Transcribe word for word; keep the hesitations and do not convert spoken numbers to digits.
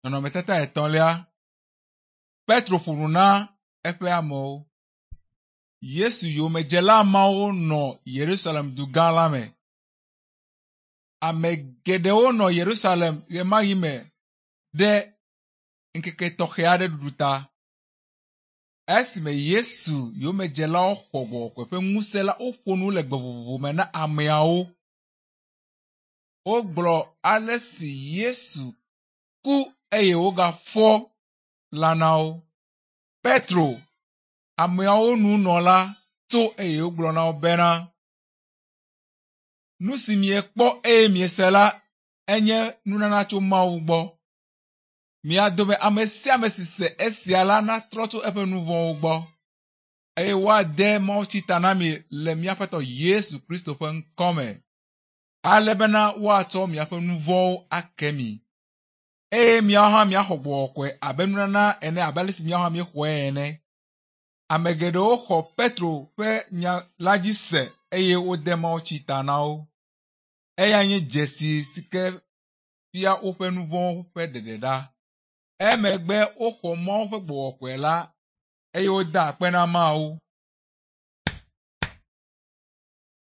Nɔnɔmetata etɔ̃lia. Petro ƒo nu na eƒe amewo. Yesu yomedzela mawo nɔ Yerusalem dugã la me. Ame geɖewo nɔ Yerusalem ɣemaɣi me ɖe ŋkeke tɔxɛ aɖe ɖuɖu ta. Esime Yesu yomedzelawo xɔ gbɔgbɔ ƒe ŋusẽ la, woƒo nu le gbe vovovo me na ameawo. Wogblɔ ale si Yesu ku eye wogafɔ la na wo. Petro, ameawo nunɔla tso eye wogblɔ na wo bena, nu si miekpɔ eye miese la enye nunana tso Mawu gbɔ. Mia dome ame sia ame si se esia la natrɔ tso eƒe nu vɔ̃wo gbɔ eye woade mawutsi ta na mi le míaƒe Yesu Kristo ƒe ŋkɔme ale bena woatsɔ miaƒe nu vɔ̃wo ake mi. Eye miawo hã miaxɔ gbɔgbɔ kɔkɔe abe nunana ene abe ale si miawo hã miexɔe ene. Ame geɖewo xɔ Petro ƒe nya la dzi se eye wode mawutsi ta na wo. Eya nye dzesi si ke fia woƒe nu vɔ̃wo ƒe ɖeɖeɖa. Emegbe woxɔ Mawu ƒe gbɔgbɔ kɔkɔe la eye woda akpe na Mawu.